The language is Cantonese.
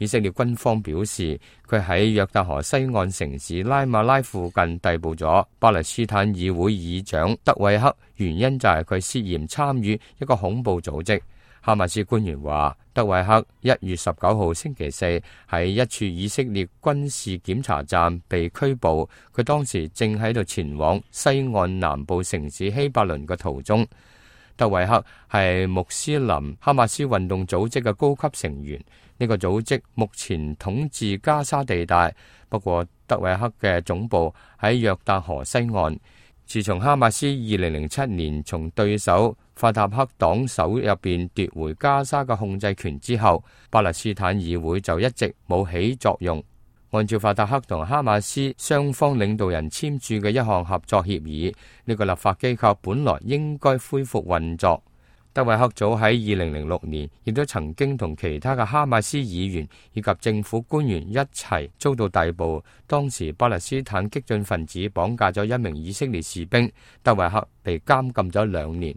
以色列軍方表示，佢喺約旦河西岸城市拉馬拉附近逮捕咗巴勒斯坦議會議長德韋克，原因就係佢涉嫌參與一個恐怖組織。哈馬斯官員話，德韋克1月19號星期四喺一處以色列軍事檢查站被拘捕，佢當時正喺度前往西岸南部城市希伯倫嘅途中。德韋克係穆斯林哈馬斯運動組織嘅高級成員，呢個組織目前統治加沙地帶，不過德韋克嘅總部喺約旦河西岸。自從哈馬斯2007年從對手法塔赫黨手入邊奪回加沙嘅控制權之後，巴勒斯坦議會就一直冇起作用。按照法塔赫同哈馬斯雙方領導人簽署嘅一項合作協議，呢個立法機構本來應該恢復運作。德韋克早喺2006年亦都曾經同其他嘅哈馬斯議員以及政府官員一齊遭到逮捕，當時巴勒斯坦激進分子綁架咗一名以色列士兵，德韋克被監禁咗2年。